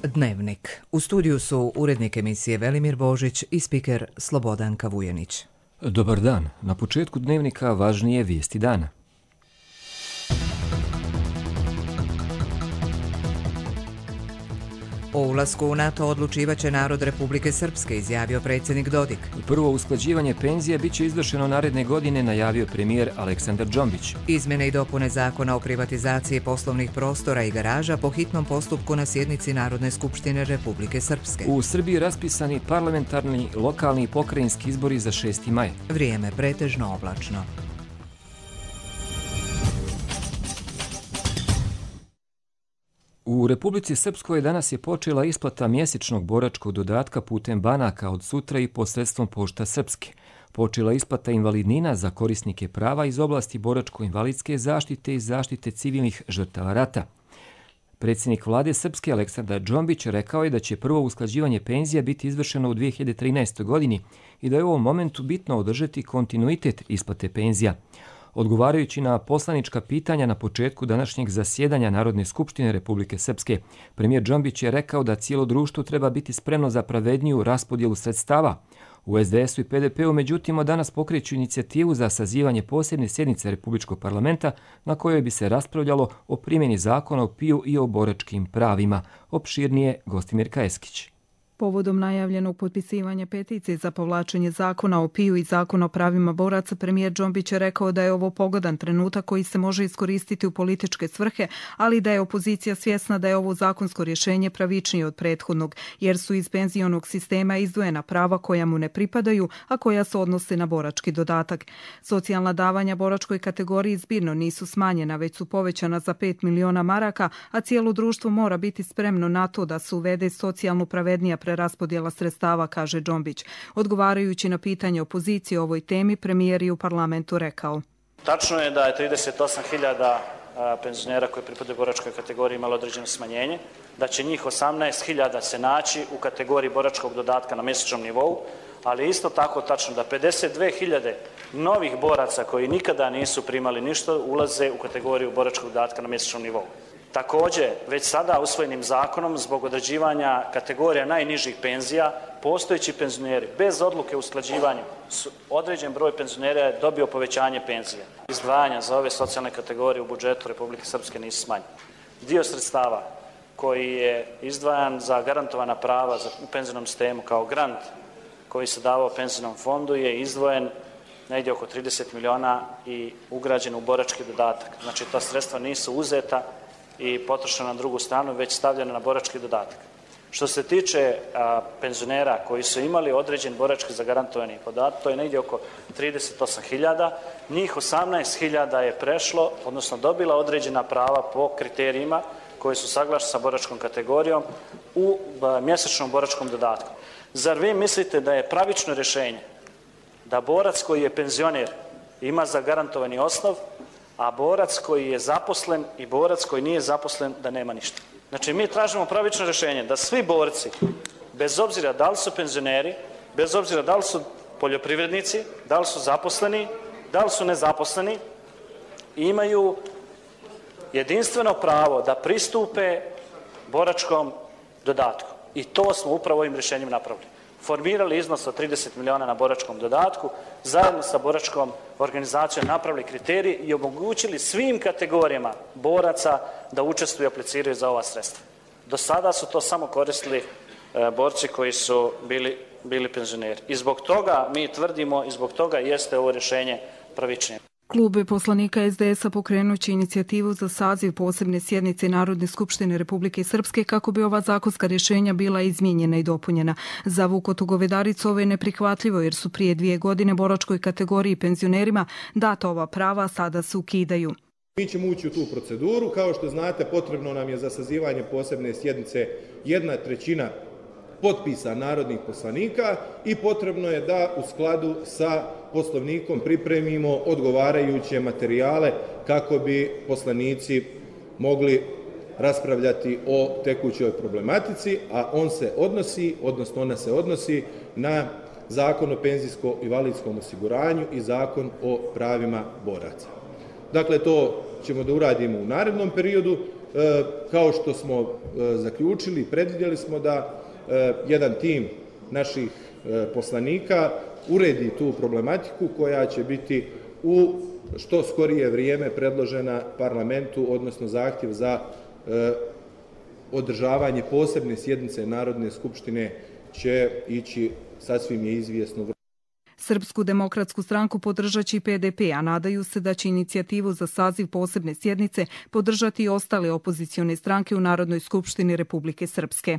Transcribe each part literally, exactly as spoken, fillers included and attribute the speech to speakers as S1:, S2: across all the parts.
S1: Dnevnik. U studiju su urednik emisije Velimir Božić i spiker Slobodanka Vujenić.
S2: Dobar dan. Na početku Dnevnika važnije vijesti dana.
S1: O ulasku u NATO odlučivaće narod Republike Srpske, izjavio predsjednik Dodik.
S2: Prvo usklađivanje penzija bit će izvršeno naredne godine, najavio premijer Aleksandar Džombić.
S1: Izmjene i dopune zakona o privatizaciji poslovnih prostora i garaža po hitnom postupku na sjednici Narodne skupštine Republike Srpske.
S2: U Srbiji raspisani parlamentarni, lokalni i pokrajinski izbori za šesti maj.
S1: Vrijeme pretežno oblačno.
S2: U Republici Srpskoj danas je počela isplata mjesečnog boračkog dodatka putem banaka od sutra i posredstvom Pošta Srpske. Počela isplata invalidnina za korisnike prava iz oblasti boračko-invalidske zaštite i zaštite civilnih žrtava rata. Predsjednik vlade Srpske Aleksandar Džombić rekao je da će prvo usklađivanje penzija biti izvršeno u dvije hiljade trinaestoj. godini i da je u ovom momentu bitno održati kontinuitet isplate penzija. Odgovarajući na poslanička pitanja na početku današnjeg zasjedanja Narodne skupštine Republike Srpske, premijer Džombić je rekao da cijelo društvo treba biti spremno za pravedniju raspodjelu sredstava. U es de esu i pe de pe u međutim danas pokreću inicijativu za sazivanje posebne sjednice Republičkog parlamenta na kojoj bi se raspravljalo o primjeni zakona o P I U i o boračkim pravima. Opširnije Gostimir Kajeskić.
S3: Povodom najavljenog potpisivanja peticije za povlačenje zakona o P I U i zakona o pravima boraca, premijer Džombić je rekao da je ovo pogodan trenutak koji se može iskoristiti u političke svrhe, ali da je opozicija svjesna da je ovo zakonsko rješenje pravičnije od prethodnog, jer su iz penzionog sistema izdvojena prava koja mu ne pripadaju, a koja se odnose na borački dodatak. Socijalna davanja boračkoj kategoriji zbirno nisu smanjena, već su povećana za pet miliona maraka, a cijelo društvo mora biti spremno na to da se uvede socijalno pravednija raspodjela sredstava, kaže Džombić. Odgovarajući na pitanje opozicije o ovoj temi, premijer je u parlamentu rekao.
S4: Tačno je da je trideset osam hiljada penzionera koji pripadaju boračkoj kategoriji imalo određeno smanjenje, da će njih osamnaest hiljada se naći u kategoriji boračkog dodatka na mjesečnom nivou, ali isto tako tačno da pedeset dve hiljade novih boraca koji nikada nisu primali ništa ulaze u kategoriju boračkog dodatka na mjesečnom nivou. Također, već sada usvojenim zakonom zbog određivanja kategorija najnižih penzija, postojeći penzioneri bez odluke o usklađivanju, određen broj penzionera je dobio povećanje penzija. Izdvajanja za ove socijalne kategorije u budžetu Republike Srpske nisu smanjene. Dio sredstava koji je izdvajan za garantovana prava u penzionom sistemu kao grant koji se davao penzionom fondu je izdvojen negdje oko trideset miliona i ugrađen u borački dodatak. Znači, ta sredstva nisu uzeta i potrošena na drugu stranu, već stavljena na borački dodatak. Što se tiče a, penzionera koji su imali određen borački zagarantovani podatak, to je negdje oko trideset osam hiljada, njih osamnaest hiljada je prešlo, odnosno dobila određena prava po kriterijima koji su saglašeni sa boračkom kategorijom u a, mjesečnom boračkom dodatku. Zar vi mislite da je pravično rješenje da borac koji je penzioner ima zagarantovani osnov, a borac koji je zaposlen i borac koji nije zaposlen da nema ništa? Znači, mi tražimo pravično rješenje da svi borci, bez obzira da li su penzioneri, bez obzira da li su poljoprivrednici, da li su zaposleni, da li su nezaposleni, imaju jedinstveno pravo da pristupe boračkom dodatku. I to smo upravo ovim rješenjem napravili. Formirali iznos od trideset miliona na boračkom dodatku, zajedno sa boračkom organizacijom napravili kriterij i omogućili svim kategorijama boraca da učestvuju i apliciraju za ova sredstva. Do sada su to samo koristili e, borci koji su bili, bili penzioneri. I zbog toga mi tvrdimo i zbog toga jeste ovo rješenje pravičnije.
S3: Klub poslanika es de esa pokrenuće inicijativu za saziv posebne sjednice Narodne skupštine Republike Srpske kako bi ova zakonska rješenja bila izmijenjena i dopunjena. Za Vukotu Govedaricu ovo je neprihvatljivo jer su prije dvije godine boračkoj kategoriji penzionerima data ova prava, sada se ukidaju.
S5: Mi ćemo ući u tu proceduru. Kao što znate, potrebno nam je za sazivanje posebne sjednice jedna trećina potpisa narodnih poslanika i potrebno je da u skladu sa Poslovnikom pripremimo odgovarajuće materijale kako bi poslanici mogli raspravljati o tekućoj problematici, a on se odnosi, odnosno ona se odnosi na Zakon o penzijsko-invalidskom osiguranju i Zakon o pravima boraca. Dakle, to ćemo da uradimo u narednom periodu kao što smo zaključili, predvidjeli smo da jedan tim naših poslanika uredi tu problematiku koja će biti u što skorije vrijeme predložena parlamentu, odnosno zahtjev za održavanje posebne sjednice Narodne skupštine će ići, sasvim je izvjesno.
S3: Srpsku demokratsku stranku podržat će i P D P, a nadaju se da će inicijativu za saziv posebne sjednice podržati i ostale opozicione stranke u Narodnoj skupštini Republike Srpske.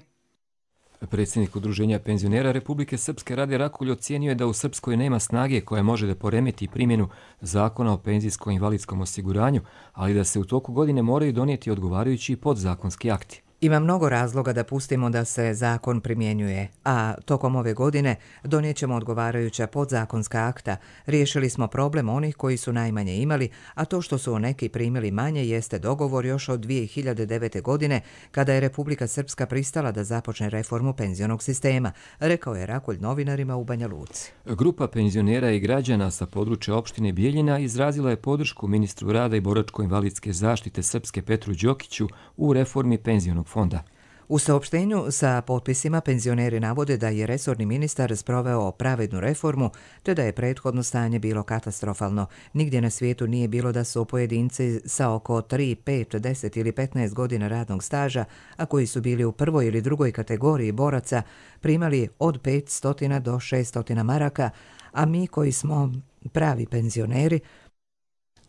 S2: Predsjednik Udruženja penzionera Republike Srpske Rade Rakulj ocijenio je da u Srpskoj nema snage koja može da poremeti primjenu zakona o penzijskom i invalidskom osiguranju, ali da se u toku godine moraju donijeti odgovarajući podzakonski akti.
S1: Ima mnogo razloga da pustimo da se zakon primjenjuje, a tokom ove godine donijet ćemo odgovarajuća podzakonska akta. Riješili smo problem onih koji su najmanje imali, a to što su neki primili manje jeste dogovor još od dvije hiljade devete. godine, kada je Republika Srpska pristala da započne reformu penzionog sistema, rekao je Rakulj novinarima u Banja Luci.
S2: Grupa penzionera i građana sa područja opštine Bijeljina izrazila je podršku ministru rada i boračko-invalidske zaštite Srpske Petru Đokiću u reformi penzionog fonda.
S1: U saopštenju sa potpisima penzioneri navode da je resorni ministar sproveo pravednu reformu, te da je prethodno stanje bilo katastrofalno. Nigdje na svijetu nije bilo da su pojedinci sa oko tri, pet, deset ili petnaest godina radnog staža, a koji su bili u prvoj ili drugoj kategoriji boraca, primali od petsto do šesto maraka, a mi koji smo pravi penzioneri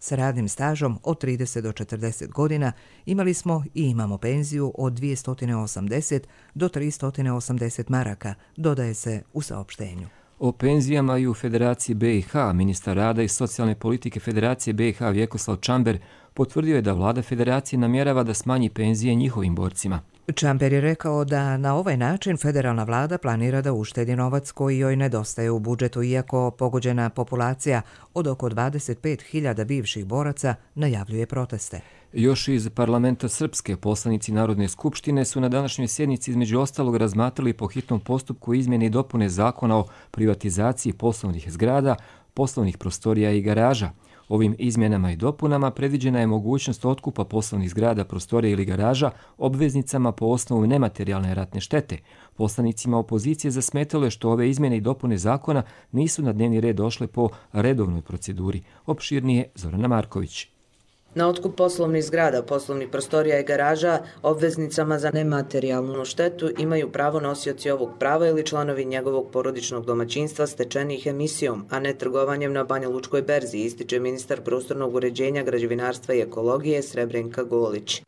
S1: s radnim stažom od trideset do četrdeset godina imali smo i imamo penziju od dvjesto osamdeset do tristo osamdeset maraka, dodaje se u saopštenju.
S2: O penzijama i u Federaciji B i H ministar rada i socijalne politike Federacije B i H Vjekoslav Čamber potvrdio je da vlada Federacije namjerava da smanji penzije njihovim borcima.
S1: Čamber je rekao da na ovaj način federalna vlada planira da uštedi novac koji joj nedostaje u budžetu, iako pogođena populacija od oko dvadeset pet hiljada bivših boraca najavljuje proteste.
S2: Još iz parlamenta Srpske poslanici Narodne skupštine su na današnjoj sjednici između ostalog razmatrali po hitnom postupku izmjene i dopune zakona o privatizaciji poslovnih zgrada, poslovnih prostorija i garaža. Ovim izmjenama i dopunama predviđena je mogućnost otkupa poslovnih zgrada, prostorija ili garaža obveznicama po osnovu nematerijalne ratne štete. Poslanicima opozicije zasmetalo je što ove izmjene i dopune zakona nisu na dnevni red došle po redovnoj proceduri. Opširnije Zorana Marković.
S6: Na otkup poslovnih zgrada, poslovnih prostorija i garaža, obveznicama za nematerijalnu štetu imaju pravo nosioci ovog prava ili članovi njegovog porodičnog domaćinstva stečenih emisijom, a ne trgovanjem na Banja Lučkoj berzi, ističe ministar prostornog uređenja, građevinarstva i ekologije Srebrenka Golić.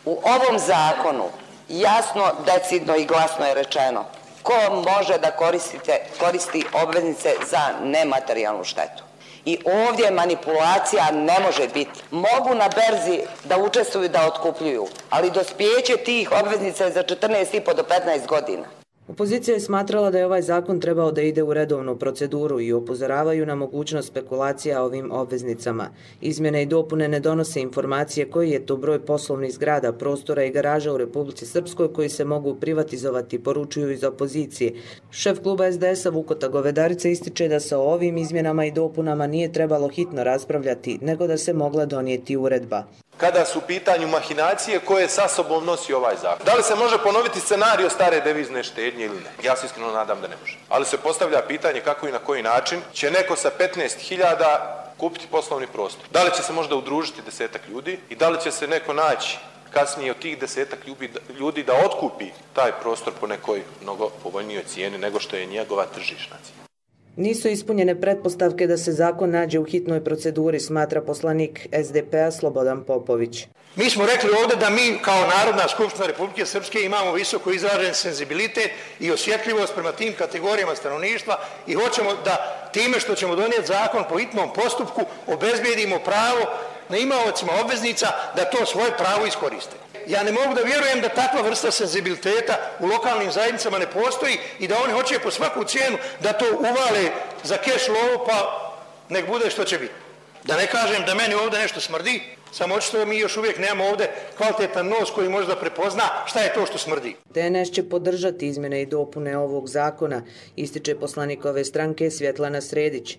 S7: U ovom zakonu jasno, decidno i glasno je rečeno ko može da koristite, koristi obveznice za nematerijalnu štetu. I ovdje manipulacija ne može biti. Mogu na berzi da učestvuju da otkupljuju, ali dospijeće tih obveznica je za četrnaest i po do petnaest godina.
S6: Opozicija je smatrala da je ovaj zakon trebao da ide u redovnu proceduru i upozoravaju na mogućnost spekulacija ovim obveznicama. Izmjene i dopune ne donose informacije koji je to broj poslovnih zgrada, prostora i garaža u Republici Srpskoj koji se mogu privatizovati, poručuju iz opozicije. Šef kluba S D S-a Vukota Govedarica ističe da sa ovim izmjenama i dopunama nije trebalo hitno raspravljati, nego da se mogla donijeti uredba.
S5: Kada su u pitanju mahinacije koje sa sobom nosi ovaj zakon. Da li se može ponoviti scenario stare devizne štednje ili ne? Ja se iskreno nadam da ne može. Ali se postavlja pitanje kako i na koji način će neko sa petnaest hiljada kupiti poslovni prostor. Da li će se možda udružiti desetak ljudi i da li će se neko naći kasnije od tih desetak ljudi da otkupi taj prostor po nekoj mnogo povoljnijoj cijeni nego što je njegova tržišna cijena.
S6: Nisu ispunjene pretpostavke da se zakon nađe u hitnoj proceduri, smatra poslanik S D P-a Slobodan Popović.
S8: Mi smo rekli ovdje da mi kao Narodna skupština Republike Srpske imamo visoko izražen senzibilitet i osjetljivost prema tim kategorijama stanovništva i hoćemo da time što ćemo donijeti zakon po hitnom postupku obezbijedimo pravo na imaocima obveznica da to svoje pravo iskoriste. Ja ne mogu da vjerujem da takva vrsta senzibiliteta u lokalnim zajednicama ne postoji i da oni hoće po svaku cijenu da to uvale za keš lovu pa nek bude što će biti. Da ne kažem da meni ovdje nešto smrdi, Samo očito mi još uvijek nemamo ovdje kvalitetan nos koji može da prepozna šta je to što smrdi.
S6: D N S će podržati izmjene i dopune ovog zakona, ističe poslanik ove stranke Svjetlana Sredić.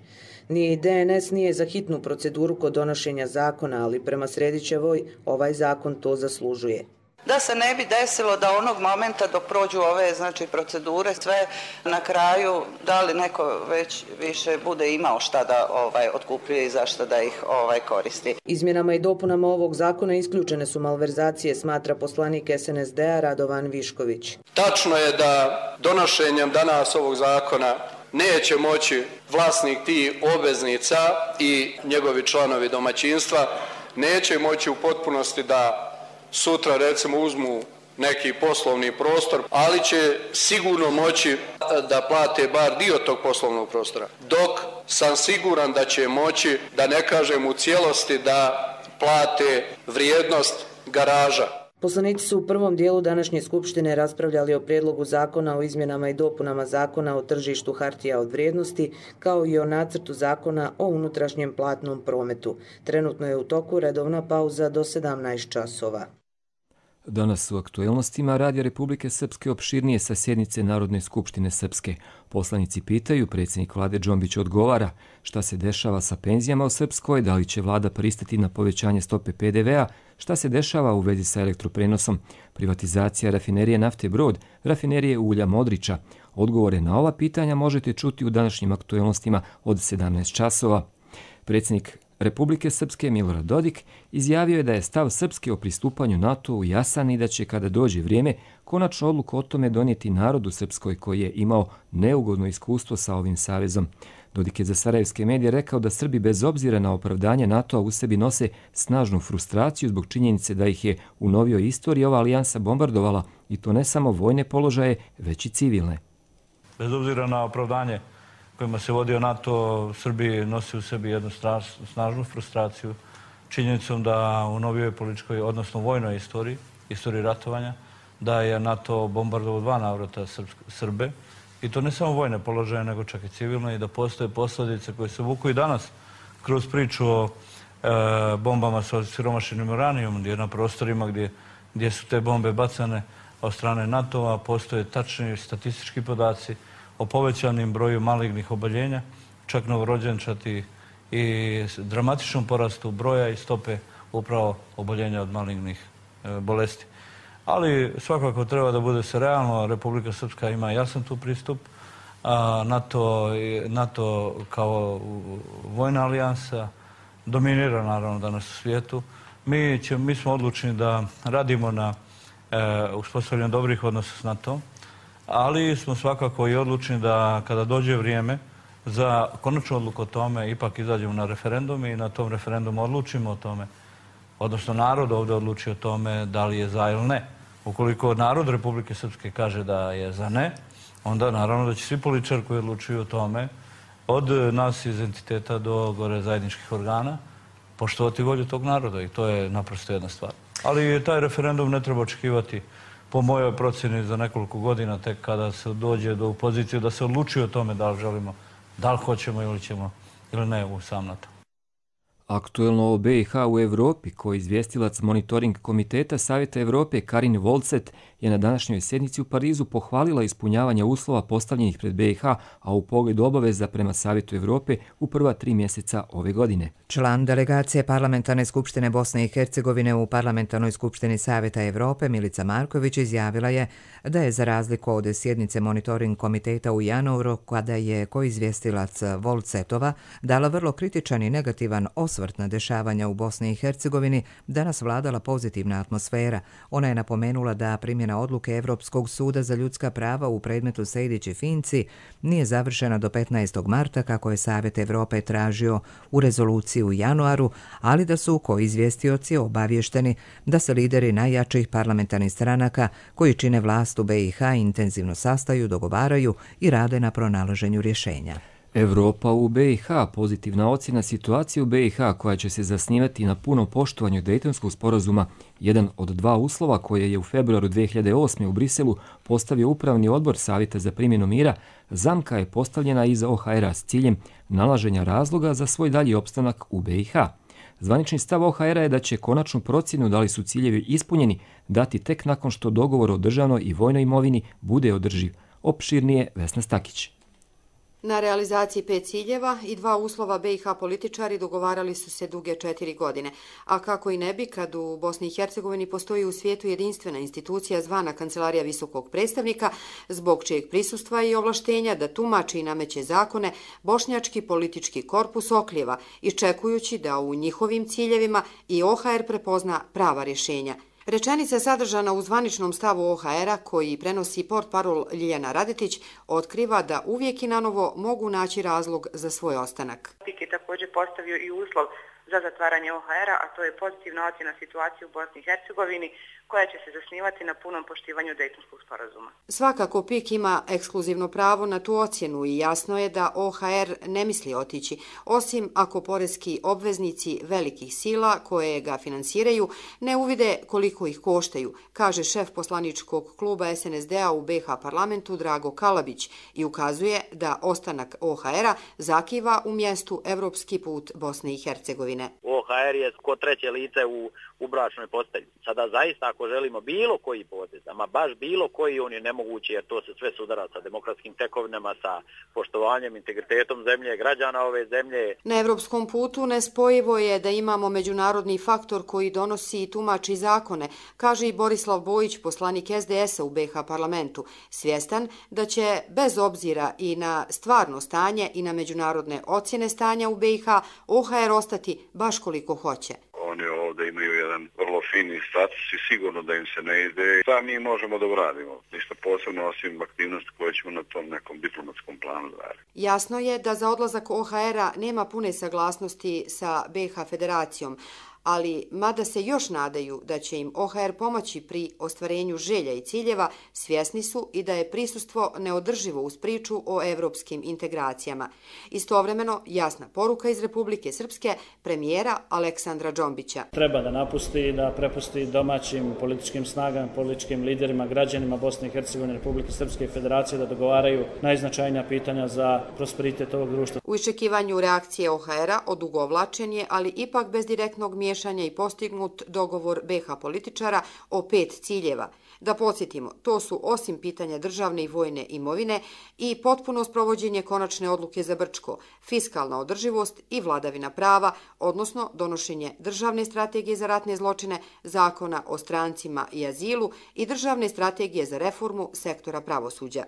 S6: Ni D N S nije za hitnu proceduru kod donošenja zakona, ali prema Sredićevoj ovaj zakon to zaslužuje.
S9: Da se ne bi desilo da onog momenta dok prođu ove znači procedure sve na kraju da li neko već više bude imao šta da ovaj otkupljuje i zašto da ih ovaj koristi.
S6: Izmjenama i dopunama ovog zakona isključene su malverzacije, smatra poslanik S N S D-a Radovan Višković.
S10: Tačno je da donošenjem danas ovog zakona neće moći vlasnik tih obveznica i njegovi članovi domaćinstva neće moći u potpunosti da sutra recimo uzmu neki poslovni prostor, ali će sigurno moći da plate bar dio tog poslovnog prostora. Dok sam siguran da će moći, da ne kažem u cijelosti, da plate vrijednost garaža.
S6: Poslanici su u prvom dijelu današnje skupštine raspravljali o prijedlogu zakona o izmjenama i dopunama zakona o tržištu hartija od vrijednosti, kao i o nacrtu zakona o unutrašnjem platnom prometu. Trenutno je u toku redovna pauza do sedamnaest časova.
S2: Danas u aktuelnostima Radija Republike Srpske opširnije sa sjednice Narodne skupštine Srpske. Poslanici pitaju, predsjednik vlade Džombić odgovara šta se dešava sa penzijama u Srpskoj, da li će vlada pristati na povećanje stope P D V-a, šta se dešava u vezi sa elektroprenosom, privatizacija rafinerije nafte Brod, rafinerije ulja Modriča. Odgovore na ova pitanja možete čuti u današnjim aktuelnostima od sedamnaest časova. Predsjednik Republike Srpske Milorad Dodik izjavio je da je stav Srpske o pristupanju NATO-u jasan i da će, kada dođe vrijeme, konačnu odluku o tome donijeti narod u Srpskoj koji je imao neugodno iskustvo sa ovim savezom. Dodik je za sarajevske medije rekao da Srbi bez obzira na opravdanje NATO-a u sebi nose snažnu frustraciju zbog činjenice da ih je u novijoj istoriji ova alijansa bombardovala, i to ne samo vojne položaje, već i civilne.
S11: Bez obzira na opravdanje kojima se vodio NATO, Srbiji nosi u sebi jednu snažnu frustraciju činjenicom da u novijoj političkoj, odnosno vojnoj istoriji, istoriji ratovanja, da je NATO bombardovao dva navrata Srbe, i to ne samo vojne položaje, nego čak i civilno, i da postoje posljedice koje se vuku i danas kroz priču o e, bombama sa siromašenim uranijom, gdje na prostorima gdje, gdje su te bombe bacane od strane NATO-a postoje tačni statistički podaci o povećanim broju malignih oboljenja, čak novorođenčati, i dramatičnom porastu broja i stope upravo oboljenja od malignih e, bolesti. Ali svakako treba da bude se realno, Republika Srpska ima jasan tu pristup, a NATO, NATO kao vojna alijansa dominira naravno danas u svijetu. Mi, će, mi smo odlučni da radimo na e, uspostavljanju dobrih odnosa s NATO-om, ali smo svakako i odlučni da kada dođe vrijeme za konačnu odluku o tome ipak izađemo na referendum i na tom referendumu odlučimo o tome, odnosno narod ovdje odluči o tome da li je za ili ne. Ukoliko narod Republike Srpske kaže da je za ne, onda naravno da će svi političari koji odlučuju o tome, od nas iz entiteta do gore zajedničkih organa, poštovati volju tog naroda, i to je naprosto jedna stvar. Ali taj referendum ne treba očekivati, po mojoj procjeni, za nekoliko godina, tek kada se dođe do pozicije da se odlučuje o tome da li želimo, da li hoćemo ili ćemo ili ne u sam NATO.
S2: Aktuelno o B i H u Evropi, koji izvjestilac monitoring komiteta Savjeta Evrope Karin Volcet je na današnjoj sjednici u Parizu pohvalila ispunjavanje uslova postavljenih pred B i H, a u pogledu obaveza prema Savjetu Evrope u prva tri mjeseca ove godine.
S1: Član delegacije Parlamentarne skupštine Bosne i Hercegovine u Parlamentarnoj skupštini Savjeta Evrope Milica Marković izjavila je da je, za razliku od sjednice monitoring komiteta u januaru, kada je koizvjestilac Volcetova dala vrlo kritičan i negativan osvrt na dešavanja u Bosni i Hercegovini, danas vladala pozitivna atmosfera. Ona je napomenula da primjena odluke Evropskog suda za ljudska prava u predmetu Sejdić i Finci nije završena do petnaestog marta, kako je Savjet Evrope tražio u rezoluciji u januaru, ali da su koizvjestioci obavješteni da se lideri najjačih parlamentarnih stranaka koji čine vlast u B i H intenzivno sastaju, dogovaraju i rade na pronalaženju rješenja.
S2: Evropa u B i H, pozitivna ocjena situacije u B i H koja će se zasnivati na punom poštovanju Dejtonskog sporazuma, jedan od dva uslova koje je u februaru dve hiljade osme u Briselu postavio Upravni odbor Savjeta za primjenu mira, zamka je postavljena iza O H R-a s ciljem nalaženja razloga za svoj dalji opstanak u B i H. Zvanični stav O H R-a je da će konačnu procjenu da li su ciljevi ispunjeni dati tek nakon što dogovor o državnoj i vojnoj imovini bude održiv. Opširnije Vesna Stakić.
S12: Na realizaciji pet ciljeva i dva uslova B i H političari dogovarali su se duge četiri godine. A kako i ne bi kad u Bosni i Hercegovini postoji u svijetu jedinstvena institucija zvana Kancelarija visokog predstavnika, zbog čijeg prisustva i ovlaštenja da tumači i nameće zakone, bošnjački politički korpus oklijeva, iščekujući da u njihovim ciljevima i O H R prepozna prava rješenja. Rečenica sadržana u zvaničnom stavu O H R-a koji prenosi portparol Ljiljana Radetić otkriva da uvijek i nanovo mogu naći razlog za svoj ostanak.
S13: P I K je također postavio i uslov za zatvaranje O H R-a, a to je pozitivna ocjena situacije u Bosni i Hercegovini koja će se zasnivati na punom poštivanju Dejtonskog sporazuma.
S12: Svakako P I K ima ekskluzivno pravo na tu ocjenu i jasno je da O H R ne misli otići, osim ako poreski obveznici velikih sila koje ga finansiraju ne uvide koliko ih koštaju, kaže šef poslaničkog kluba S N S D-a u B H parlamentu Drago Kalabić i ukazuje da ostanak O H R-a zakiva u mjestu Evropski put Bosne i Hercegovine.
S14: O H R je ko treće lice u, u bračnoj postelji. Sada zaista ako želimo bilo koji potez, ama baš bilo koji, on je nemoguće jer to se sve sudara sa demokratskim tekovinama, sa poštovanjem, integritetom zemlje, građana ove zemlje.
S12: Na evropskom putu nespojivo je da imamo međunarodni faktor koji donosi i tumači zakone, kaže i Borislav Bojić, poslanik S D S-a u B H parlamentu, svjestan da će bez obzira i na stvarno stanje i na međunarodne ocjene stanja u B i H O H R ostati baš koliko hoće.
S15: Oni ovdje imaju jedan vrlo fini status i sigurno da im se ne ide. Šta mi možemo da uradimo? Ništa posebno osim aktivnosti koje ćemo na tom nekom diplomatskom planu raditi.
S12: Jasno je da za odlazak O H R-a nema pune saglasnosti sa B i H federacijom, ali mada se još nadaju da će im O H R pomoći pri ostvarenju želja i ciljeva, svjesni su i da je prisustvo neodrživo uz priču o evropskim integracijama. Istovremeno, jasna poruka iz Republike Srpske premijera Aleksandra Džombića.
S16: Treba da napusti i da prepusti domaćim političkim snagama, političkim liderima, građanima Bosne i Hercegovine, Republike Srpske i Federacije da dogovaraju najznačajnija pitanja za prosperitet ovog društva.
S12: U iščekivanju reakcije O H R-a odugovlačen je, ali ipak bez direktnog miješanja i postignut dogovor B H političara o pet ciljeva. Da podsjetimo, to su osim pitanja državne i vojne imovine i potpuno sprovođenje konačne odluke za Brčko, fiskalna održivost i vladavina prava, odnosno donošenje državne strategije za ratne zločine, zakona o strancima i azilu i državne strategije za reformu sektora pravosuđa.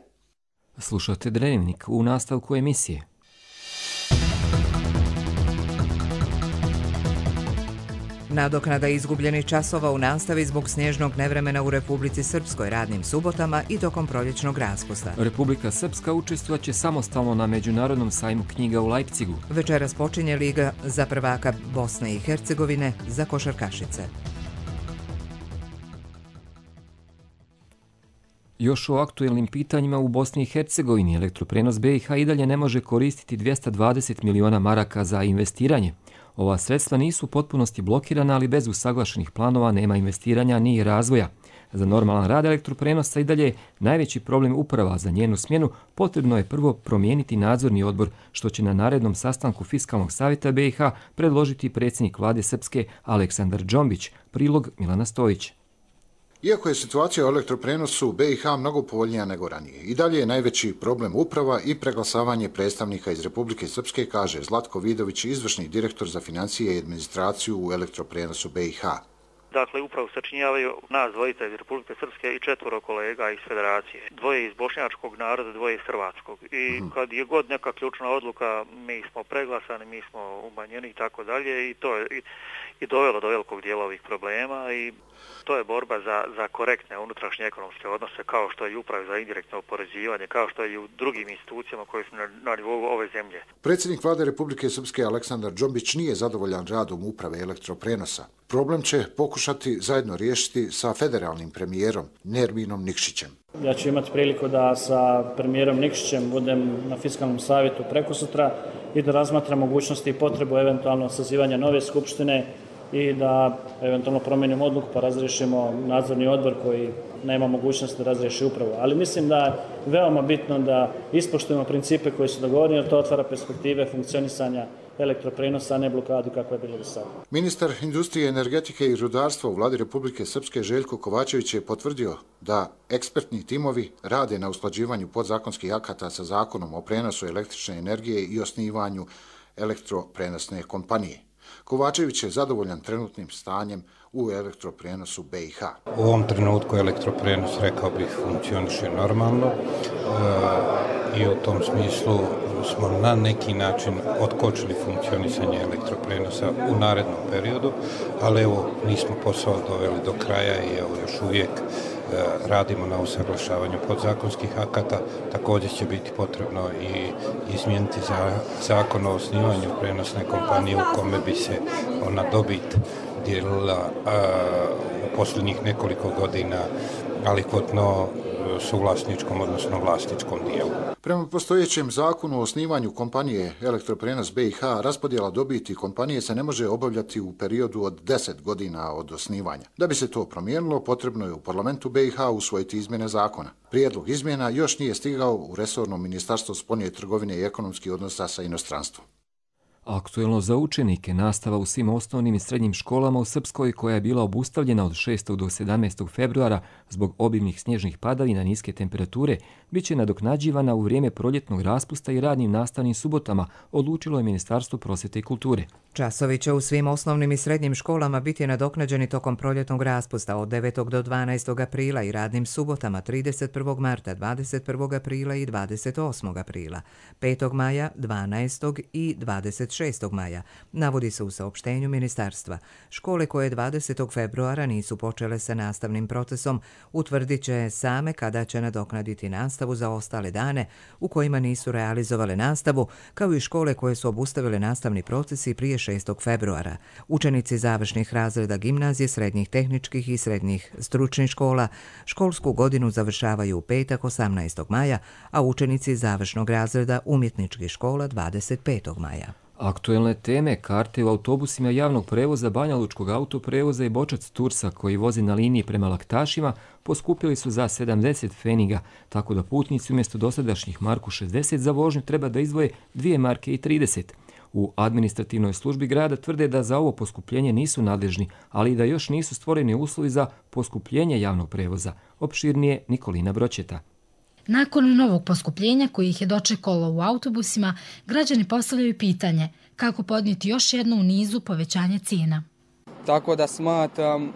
S2: Slušate Dnevnik u nastavku emisije.
S1: Nadoknada izgubljenih časova u nastavi zbog snježnog nevremena u Republici Srpskoj radnim subotama i tokom proljećnog raspusta.
S2: Republika Srpska učestvovaće samostalno na Međunarodnom sajmu knjiga u Leipzigu.
S1: Večeras počinje Liga za prvaka Bosne i Hercegovine za košarkašice.
S2: Još o aktuelnim pitanjima u Bosni i Hercegovini elektroprenos B i H i dalje ne može koristiti dvjesto dvadeset miliona maraka za investiranje. Ova sredstva nisu u potpunosti blokirana, ali bez usaglašenih planova nema investiranja ni razvoja. Za normalan rad elektroprenosa i dalje najveći problem uprava za njenu smjenu potrebno je prvo promijeniti nadzorni odbor, što će na narednom sastanku Fiskalnog savjeta B i H predložiti predsjednik vlade Srpske Aleksandar Džombić, prilog Milana Stojića.
S17: Iako je situacija u elektroprenosu B i H mnogo povoljnija nego ranije, i dalje je najveći problem uprava i preglasavanje predstavnika iz Republike Srpske, kaže Zlatko Vidović, izvršni direktor za financije i administraciju u elektroprenosu B i H.
S18: Dakle, upravo sačinjavaju nas dvojica iz Republike Srpske i četvoro kolega iz Federacije. Dvoje iz bošnjačkog naroda, dvoje iz hrvatskog. I kad je god neka ključna odluka, mi smo preglasani, mi smo umanjeni i tako dalje i to je i, i dovelo do velikog dijela ovih problema i to je borba za, za korektne unutrašnje ekonomske odnose, kao što je i upravo za indirektno oporezivanje, kao što je i u drugim institucijama koje su na, na nivou ove zemlje.
S17: Predsjednik vlade Republike Srpske Aleksandar Džombić nije zadovoljan radom uprave elektroprenosa. Problem će pokušati zajedno riješiti sa federalnim premijerom Nerminom Nikšićem.
S16: Ja ću imati priliku da sa premijerom Nikšićem budem na Fiskalnom savjetu prekosutra i da razmatra mogućnosti i potrebu eventualno sazivanja nove skupštine i da eventualno promenimo odluku pa razriješimo nadzorni odbor koji nema mogućnost da razriješi upravu. Ali mislim da je veoma bitno da ispoštujemo principe koji su dogovoreni, jer to otvara perspektive funkcionisanja elektroprenosa, a ne blokadu kakva je bilo do sada.
S17: Ministar industrije, energetike i rudarstva u vladi Republike Srpske Željko Kovačević je potvrdio da ekspertni timovi rade na usklađivanju podzakonskih akata sa zakonom o prenosu električne energije i osnivanju elektroprenosne kompanije. Kovačević je zadovoljan trenutnim stanjem u elektroprenosu B i H.
S19: U ovom trenutku elektroprenos, rekao bih, funkcioniše normalno e, i u tom smislu smo na neki način otkočili funkcionisanje elektroprenosa u narednom periodu, ali evo nismo posao doveli do kraja i evo još uvijek e, radimo na usaglašavanju podzakonskih akata. Također će biti potrebno i izmijeniti za zakon o osnivanju prenosne kompanije u kome bi se ona dobit dijelila u posljednjih nekoliko godina alikvotno suvlasničkom, odnosno vlasničkom dijelu.
S17: Prema postojećem zakonu o osnivanju kompanije Elektroprenos B i H, raspodjela dobiti kompanije se ne može obavljati u periodu od deset godina od osnivanja. Da bi se to promijenilo, potrebno je u parlamentu B i H usvojiti izmjene zakona. Prijedlog izmjena još nije stigao u resorno ministarstvo spoljne trgovine i ekonomskih odnosa sa inostranstvom.
S2: Aktuelno za učenike, nastava u svim osnovnim i srednjim školama u Srpskoj, koja je bila obustavljena od šestog do sedamnaestog februara zbog obimnih snježnih padavina niske temperature, bit će nadoknađivana u vrijeme proljetnog raspusta i radnim nastavnim subotama, odlučilo je Ministarstvo prosvjete i kulture.
S1: Časovi će u svim osnovnim i srednjim školama biti nadoknađeni tokom proljetnog raspusta od devetog do dvanaestog aprila i radnim subotama trideset prvog marta, dvadeset prvog aprila i dvadeset osmog aprila, petog maja, dvanaestog i dvadeset šestog maja, navodi se u saopštenju ministarstva. Škole koje dvadesetog februara nisu počele sa nastavnim procesom utvrdit će same kada će nadoknaditi nastavu za ostale dane u kojima nisu realizovale nastavu, kao i škole koje su obustavile nastavni proces i prije šestog februara. Učenici završnih razreda gimnazije, srednjih tehničkih i srednjih stručnih škola školsku godinu završavaju u petak osamnaestog maja, a učenici završnog razreda umjetničkih škola dvadeset petog maja.
S2: Aktuelne teme, karte u autobusima javnog prevoza Banja Lučkog autoprevoza i Bočac Tursa koji vozi na liniji prema Laktašima poskupili su za sedamdeset pfeniga, tako da putnici umjesto dosadašnjih marku šezdeset za vožnju treba da izdvoje dvije marke i trideset. U administrativnoj službi grada tvrde da za ovo poskupljenje nisu nadležni, ali i da još nisu stvoreni uslovi za poskupljenje javnog prevoza. Opširnije Nikolina Broćeta.
S20: Nakon novog poskupljenja koji ih je dočekalo u autobusima, građani postavljaju pitanje kako podnijeti još jedno u nizu povećanje cijena.
S21: Tako da smatram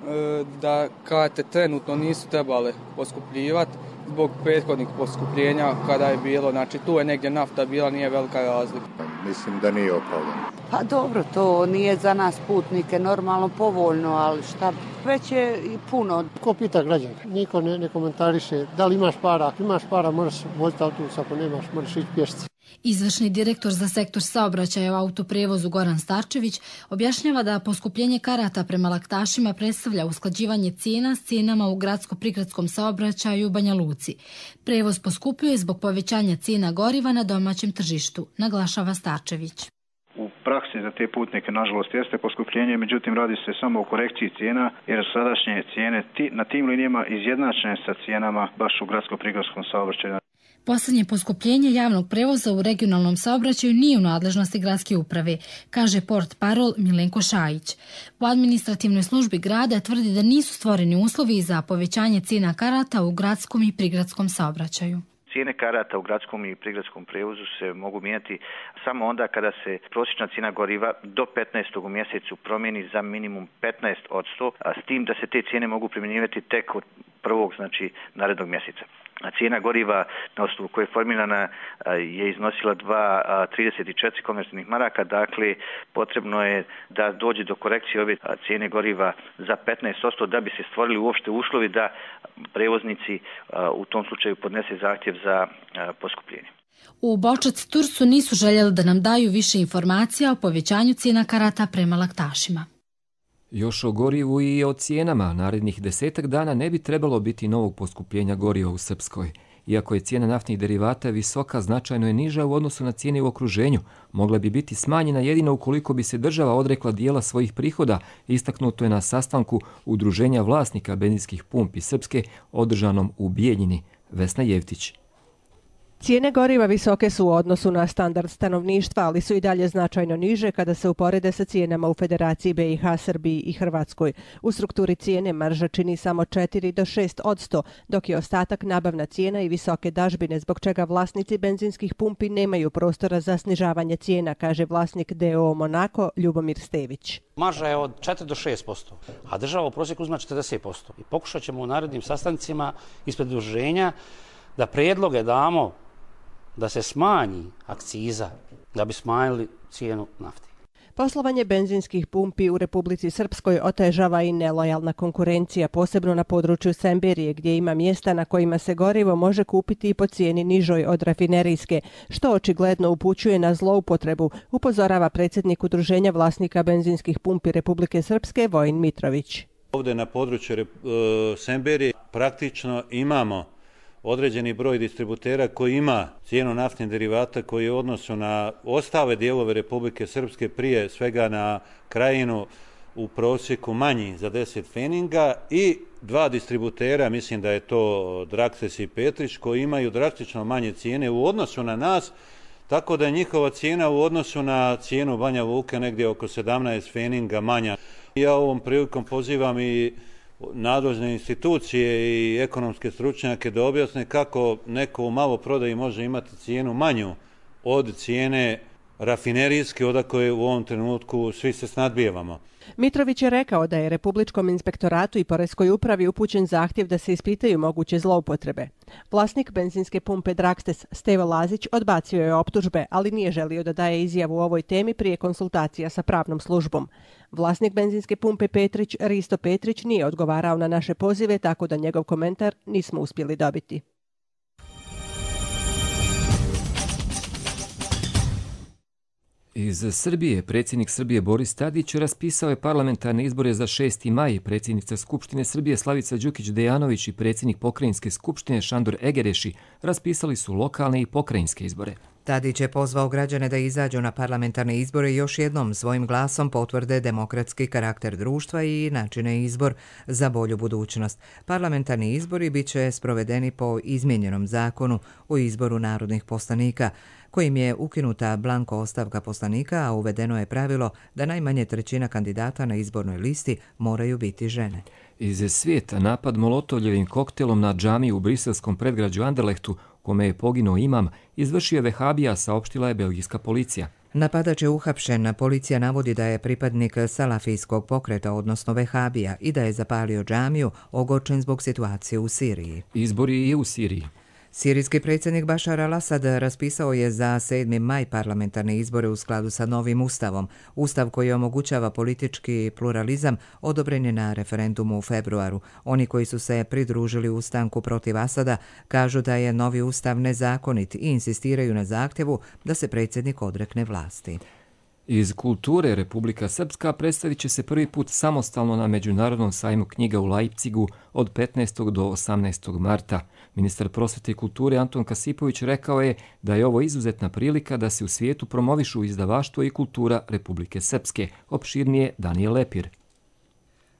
S21: da karte trenutno nisu trebale poskupljivati zbog prethodnih poskupljenja kada je bilo, znači tu je negdje nafta bila, nije velika razlika.
S22: Mislim da nije opravdano.
S23: Pa dobro, to nije za nas putnike normalno povoljno, ali šta već je i puno.
S24: Ko pita građana? Niko ne, ne komentariše da li imaš para, ako imaš para možeš voziti autobus, ako nemaš možeš ići pješci.
S20: Izvršni direktor za sektor saobraćaja u autoprevozu Goran Starčević objašnjava da poskupljenje karata prema Laktašima predstavlja usklađivanje cijena s cijenama u gradsko-prigradskom saobraćaju u Banja Luci. Prevoz poskupljuje zbog povećanja cijena goriva na domaćem tržištu, naglašava Starčević.
S25: U praksi za te putnike, nažalost, jeste poskupljenje, međutim radi se samo o korekciji cijena, jer sadašnje cijene na tim linijama izjednačene sa cijenama baš u gradsko-prigradskom saobraćaju.
S20: Posljednje poskupljenje javnog prevoza u regionalnom saobraćaju nije u nadležnosti gradske uprave, kaže portparol Milenko Šajić. U administrativnoj službi grada tvrdi da nisu stvoreni uslovi za povećanje cijena karata u gradskom i prigradskom saobraćaju.
S25: Cijene karata u gradskom i prigradskom prevozu se mogu mijenjati samo onda kada se prosječna cijena goriva do petnaestog u mjesecu promijeni za minimum petnaest posto, a s tim da se te cijene mogu primjenjivati tek od prvog, znači narednog mjeseca. A cijena goriva na osnovu koje je formirana je iznosila dva zarez trideset četiri komercijalnih maraka, dakle potrebno je da dođe do korekcije ove cijene goriva za petnaest posto da bi se stvorili uopšte uslovi da prevoznici u tom slučaju podnese zahtjev za poskupljenje.
S20: U Bočac Tursu nisu željeli da nam daju više informacija o povećanju cijena karata prema Laktašima.
S2: Još o gorivu i o cijenama. Narednih desetak dana ne bi trebalo biti novog poskupljenja goriva u Srpskoj. Iako je cijena naftnih derivata visoka, značajno je niža u odnosu na cijene u okruženju. Mogla bi biti smanjena jedino ukoliko bi se država odrekla dijela svojih prihoda, istaknuto je na sastanku Udruženja vlasnika benzinskih pumpi Srpske održanom u Bijeljini. Vesna Jevtić.
S3: Cijene goriva visoke su u odnosu na standard stanovništva, ali su i dalje značajno niže kada se uporede sa cijenama u Federaciji B i H, Srbiji i Hrvatskoj. U strukturi cijene marža čini samo četiri do šest odsto, dok je ostatak nabavna cijena i visoke dažbine, zbog čega vlasnici benzinskih pumpi nemaju prostora za snižavanje cijena, kaže vlasnik D O O Monako Ljubomir Stević.
S4: Marža je od četiri do šest posto, a država u prosjeku uzima četrdeset posto. I pokušat ćemo u narednim sastancima ispred udruženja da predloge damo da se smanji akciza, da bi smanjili cijenu nafte.
S3: Poslovanje benzinskih pumpi u Republici Srpskoj otežava i nelojalna konkurencija, posebno na području Semberije, gdje ima mjesta na kojima se gorivo može kupiti i po cijeni nižoj od rafinerijske, što očigledno upućuje na zloupotrebu, upozorava predsjednik Udruženja vlasnika benzinskih pumpi Republike Srpske Vojin Mitrović.
S5: Ovdje na području Semberije praktično imamo određeni broj distributera koji ima cijenu naftnih derivata koji je u odnosu na ostale dijelove Republike Srpske, prije svega na Krajinu, u prosjeku manji za deset feninga, i dva distributera, mislim da je to Drakses i Petrić, koji imaju drastično manje cijene u odnosu na nas, tako da je njihova cijena u odnosu na cijenu Banja Luka negdje oko sedamnaest feninga manja. Ja ovom prilikom pozivam i nadležne institucije i ekonomske stručnjake da objasne kako neko u maloprodaji može imati cijenu manju od cijene rafinerijske, odakle u ovom trenutku svi se snadbijevamo.
S3: Mitrović je rekao da je Republičkom inspektoratu i Poreskoj upravi upućen zahtjev da se ispitaju moguće zloupotrebe. Vlasnik benzinske pumpe Drakstes Stevo Lazić odbacio je optužbe, ali nije želio da daje izjavu o ovoj temi prije konsultacija sa pravnom službom. Vlasnik benzinske pumpe Petrić, Risto Petrić, nije odgovarao na naše pozive, tako da njegov komentar nismo uspjeli dobiti.
S2: Iz Srbije predsjednik Srbije Boris Tadić raspisao je parlamentarne izbore za šesti maj. Predsjednica Skupštine Srbije Slavica Đukić-Dejanović i predsjednik Pokrajinske skupštine Šandor Egereši raspisali su lokalne i pokrajinske izbore.
S1: Tadić je pozvao građane da izađu na parlamentarne izbore i još jednom svojim glasom potvrde demokratski karakter društva i načine izbor za bolju budućnost. Parlamentarni izbori bit će sprovedeni po izmijenjenom zakonu o izboru narodnih poslanika, kojim je ukinuta blanko ostavka poslanika, a uvedeno je pravilo da najmanje trećina kandidata na izbornoj listi moraju biti žene.
S2: Iz svijeta napad molotovljevim koktelom na džamiju u briselskom predgrađu Anderlehtu, kome je poginuo imam, izvršio vehabija, saopštila je belgijska policija.
S1: Napadač je uhapšen. Policija navodi da je pripadnik salafijskog pokreta, odnosno vehabija, i da je zapalio džamiju, ogorčen zbog situacije u Siriji.
S2: Izbori je u Siriji.
S1: Sirijski predsjednik Bašar al-Asad raspisao je za sedmi maj parlamentarne izbore u skladu sa novim ustavom. Ustav koji omogućava politički pluralizam odobren je na referendumu u februaru. Oni koji su se pridružili ustanku protiv Asada kažu da je novi ustav nezakonit i insistiraju na zahtjevu da se predsjednik odrekne vlasti.
S2: Iz kulture Republika Srpska predstavit će se prvi put samostalno na Međunarodnom sajmu knjiga u Leipzigu od petnaestog do osamnaestog marta. Ministar prosvete i kulture Anton Kasipović rekao je da je ovo izuzetna prilika da se u svijetu promovišu izdavaštvo i kultura Republike Srpske. Opširnije Danijel Lepir.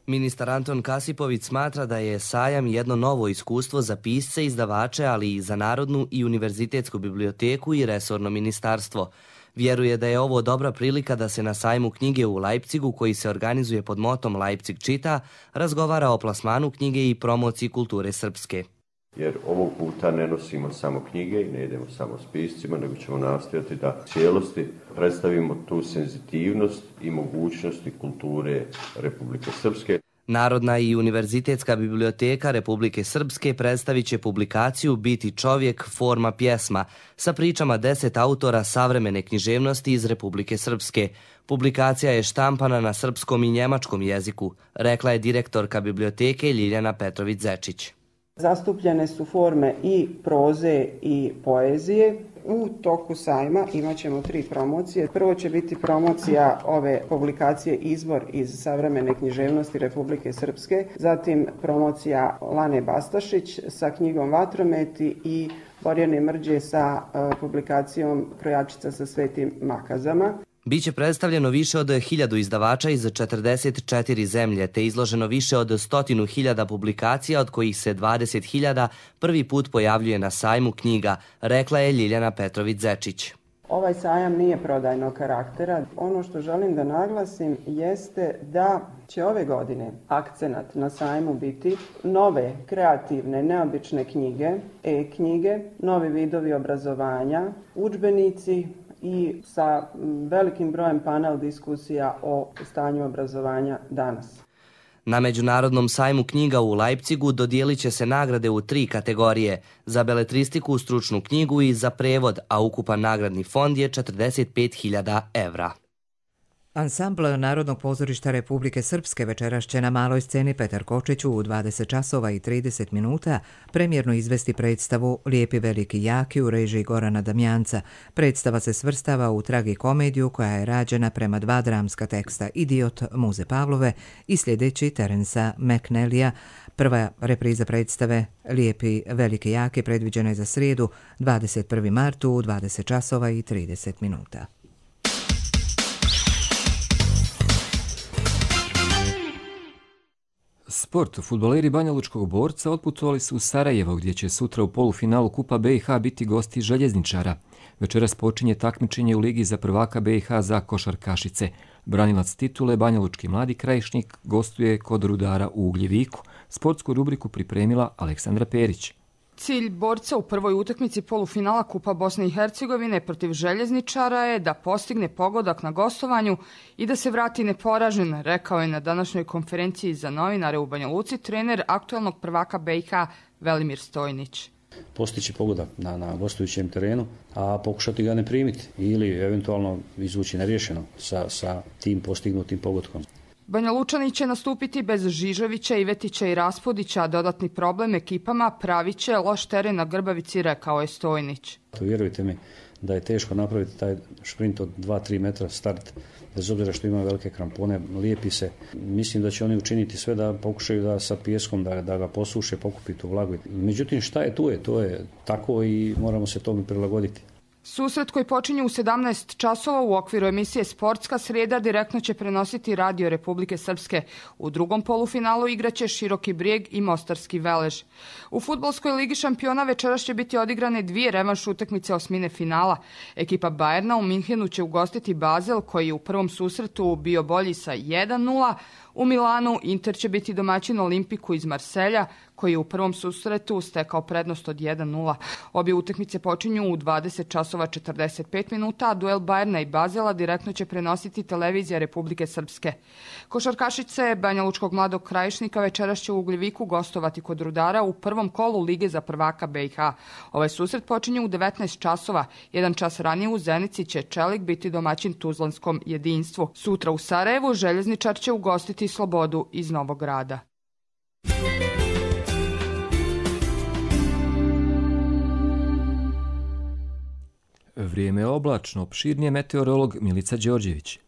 S7: Ministar Anton Kasipović smatra da je sajam jedno novo iskustvo za pisce, izdavače, ali i za Narodnu i univerzitetsku biblioteku i resorno ministarstvo. Vjeruje da je ovo dobra prilika da se na sajmu knjige u Leipzigu, koji se organizuje pod motom Leipzig čita, razgovara o plasmanu knjige i promociji kulture srpske.
S8: Jer ovog puta ne nosimo samo knjige i ne idemo samo s piscima, nego ćemo nastojati da cijelosti predstavimo tu senzitivnost i mogućnosti kulture Republike Srpske.
S7: Narodna i univerzitetska biblioteka Republike Srpske predstavit će publikaciju Biti čovjek, forma pjesma sa pričama deset autora savremene književnosti iz Republike Srpske. Publikacija je štampana na srpskom i njemačkom jeziku, rekla je direktorka biblioteke Ljiljana Petrović-Zečić.
S26: Zastupljene su forme i proze i poezije.
S6: U toku sajma imat ćemo tri promocije. Prvo će biti promocija ove publikacije Izbor iz savremene književnosti Republike Srpske, zatim promocija Lane Bastašić sa knjigom Vatrometi i Borjane Mrđe sa uh, publikacijom Krojačica sa svetim makazama.
S7: Biće predstavljeno više od hiljadu izdavača iz četrdeset četiri zemlje, te izloženo više od stotinu hiljada publikacija, od kojih se dvadeset hiljada prvi put pojavljuje na sajmu knjiga, rekla je Ljiljana Petrović-Zečić.
S6: Ovaj sajam nije prodajnog karaktera. Ono što želim da naglasim jeste da će ove godine akcenat na sajmu biti nove, kreativne, neobične knjige, e-knjige, novi vidovi obrazovanja, udžbenici i sa velikim brojem panel diskusija o stanju obrazovanja danas.
S7: Na Međunarodnom sajmu knjiga u Leipzigu dodijelit će se nagrade u tri kategorije, za beletristiku, stručnu knjigu i za prevod, a ukupan nagradni fond je četrdeset pet hiljada evra.
S1: Ansambl Narodnog pozorišta Republike Srpske večeras će na maloj sceni Petar Kočić u dvadeset časova i trideset minuta premjerno izvesti predstavu Lijepi veliki jaki u režiji Gorana Damjanca. Predstava se svrstava u tragikomediju koja je rađena prema dva dramska teksta Idiot Muze Pavlove i sljedeći Terensa McNellija. Prva repriza predstave Lijepi veliki jaki predviđena je za srijedu dvadeset prvi mart u dvadeset časova i trideset minuta.
S2: Sport. Fudbaleri Banjalučkog Borca otputovali su u Sarajevo, gdje će sutra u polufinalu Kupa B i H biti gosti Željezničara. Večeras počinje takmičenje u Ligi za prvaka B i H za košarkašice. Branilac titule Banjalučki mladi krajišnik gostuje kod Rudara u Ugljeviku. Sportsku rubriku pripremila Aleksandra Perić.
S9: Cilj Borca u prvoj utakmici polufinala Kupa Bosne i Hercegovine protiv Željezničara je da postigne pogodak na gostovanju i da se vrati neporažen, rekao je na današnjoj konferenciji za novinare u Banja Luci trener aktualnog prvaka B i H Velimir Stojnić.
S10: Postići pogodak na, na gostujućem terenu, a pokušati ga ne primiti ili eventualno izvući neriješeno sa, sa tim postignutim pogodkom.
S9: Banja Lučani će nastupiti bez Žižovića, Ivetića i Raspodića, a dodatni problem ekipama pravit će loš teren na Grbavici, rekao je Stojnić.
S10: Vjerujte mi da je teško napraviti taj šprint od dva do tri metra start, bez obzira što ima velike krampone, lijepi se. Mislim da će oni učiniti sve da pokušaju da sa pijeskom da, da ga posuše, pokupi tu vlagu. Međutim, šta je tu je, to je tako i moramo se tome prilagoditi.
S9: Susret koji počinje u sedamnaest časova u okviru emisije Sportska srijeda direktno će prenositi Radio Republike Srpske. U drugom polufinalu igraće Široki Brijeg i Mostarski Velež. U fudbalskoj ligi šampiona večeras će biti odigrane dvije revanš utakmice osmine finala. Ekipa Bajerna u Minhenu će ugostiti Basel, koji je u prvom susretu bio bolji sa jedan nula. U Milanu Inter će biti domaćin Olimpiku iz Marselja, koji je u prvom susretu stekao prednost od jedan nula. Obje utakmice počinju u dvadeset časova četrdeset pet minuta, a duel Bajerna i Bazela direktno će prenositi televizija Republike Srpske. Košarkašice Banjalučkog mladog krajišnika večeras će u Ugljeviku gostovati kod Rudara u prvom kolu Lige za prvaka B i H. Ovaj susret počinje u devetnaest časova. Jedan čas ranije u Zenici će Čelik biti domaćin Tuzlanskom jedinstvu. Sutra u Sarajevu Željezničar će ugostiti Slobodu iz Novog Grada.
S2: Vrijeme je oblačno, opširnije meteorolog Milica Đorđević.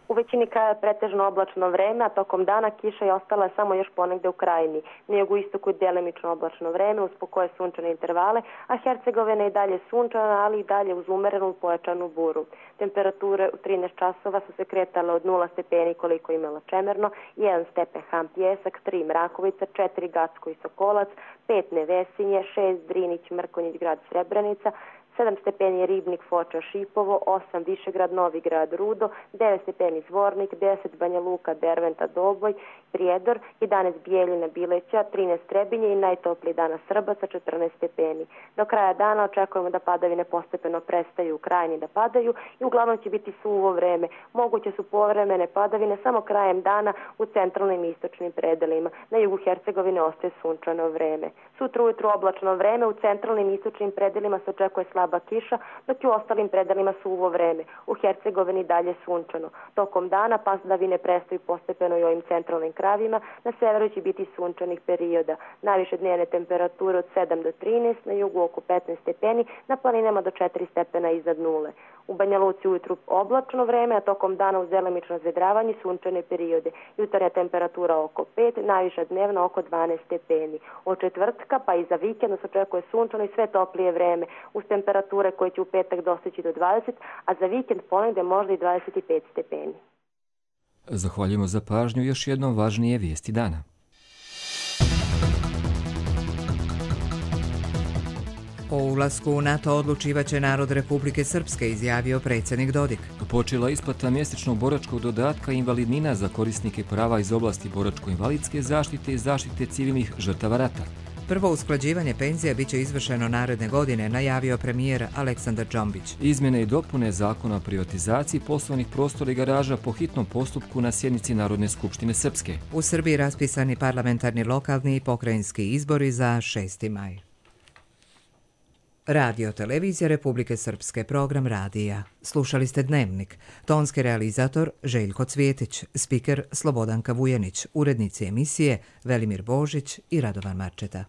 S11: U većini kraja je pretežno oblačno vreme, a tokom dana kiša je ostala samo još ponegde u krajini. Na jugoistoku je delimično oblačno vreme, uz pokoje sunčane intervale, a Hercegovina je i dalje sunčana, ali i dalje uz umerenu pojačanu buru. Temperature u trinaest časova su se kretale od nula stepeni koliko je imala Čemerno, jedan stepen Ham Pjesak, tri Mrakovica, četiri Gacko i Sokolac, pet Nevesinje, šest Drinić, Mrkonjić, grad Srebrenica, sedam stepeni Ribnik, Foča, Šipovo, osam Višegrad, Novi Grad, Rudo, devet stepeni Zvornik, deset Banja Luka, Derventa, Doboj, Prijedor, jedanaest Bijeljina, Bileća, trinaest Trebinje i najtopliji dana Srba sa četrnaest stepeni. Do kraja dana očekujemo da padavine postepeno prestaju u krajini da padaju i uglavnom će biti suvo vreme. Moguće su povremene padavine samo krajem dana u centralnim i istočnim predelima. Na jugu Hercegovine ostaje sunčano vreme. Sutra ujutru oblačno vreme, u centralnim i istočnim predelima se očekuje slaba kiša, dok i u ostalim predelima suvo vreme. U Hercegovini dalje sunčano. Tokom dana padavine prestaju postepeno i ovim centralnim krajevima, na severu će biti sunčanih perioda. Najviše dnevne temperature od sedam do trinaest, na jugu oko petnaest stepeni, na planinama do četiri stepena iznad nule. U Banja Luci ujutru oblačno vreme, a tokom dana uz delimično zvedravanje sunčane periode. Jutarnja temperatura oko pet, najviša dnevna oko dvanaest stepeni. Od četvrtka pa i za vikend se očekuje sunčano i sve toplije vreme, uz temperature koje će u petak dostići do dvadeset, a za vikend ponegde možda i dvadeset pet stepeni.
S2: Zahvaljujemo za pažnju, još jednom važnije vijesti dana.
S1: O ulasku u NATO odlučivaće narod Republike Srpske, izjavio predsjednik Dodik.
S2: Počela isplata mjesečnog boračkog dodatka i invalidnina za korisnike prava iz oblasti boračko-invalidske zaštite i zaštite civilnih žrtava rata.
S1: Prvo usklađivanje penzija biće izvršeno naredne godine, najavio premijer Aleksandar Džombić.
S2: Izmjene i dopune zakona o privatizaciji poslovnih prostora i garaža po hitnom postupku na sjednici Narodne skupštine Srpske.
S1: U Srbiji raspisani parlamentarni, lokalni i pokrajinski izbori za šesti maj. Radio televizija Republike Srpske, program radija. Slušali ste Dnevnik. Tonski realizator Željko Cvjetić, spiker Slobodanka Vujanić, urednici emisije Velimir Božić i Radovan Marčeta.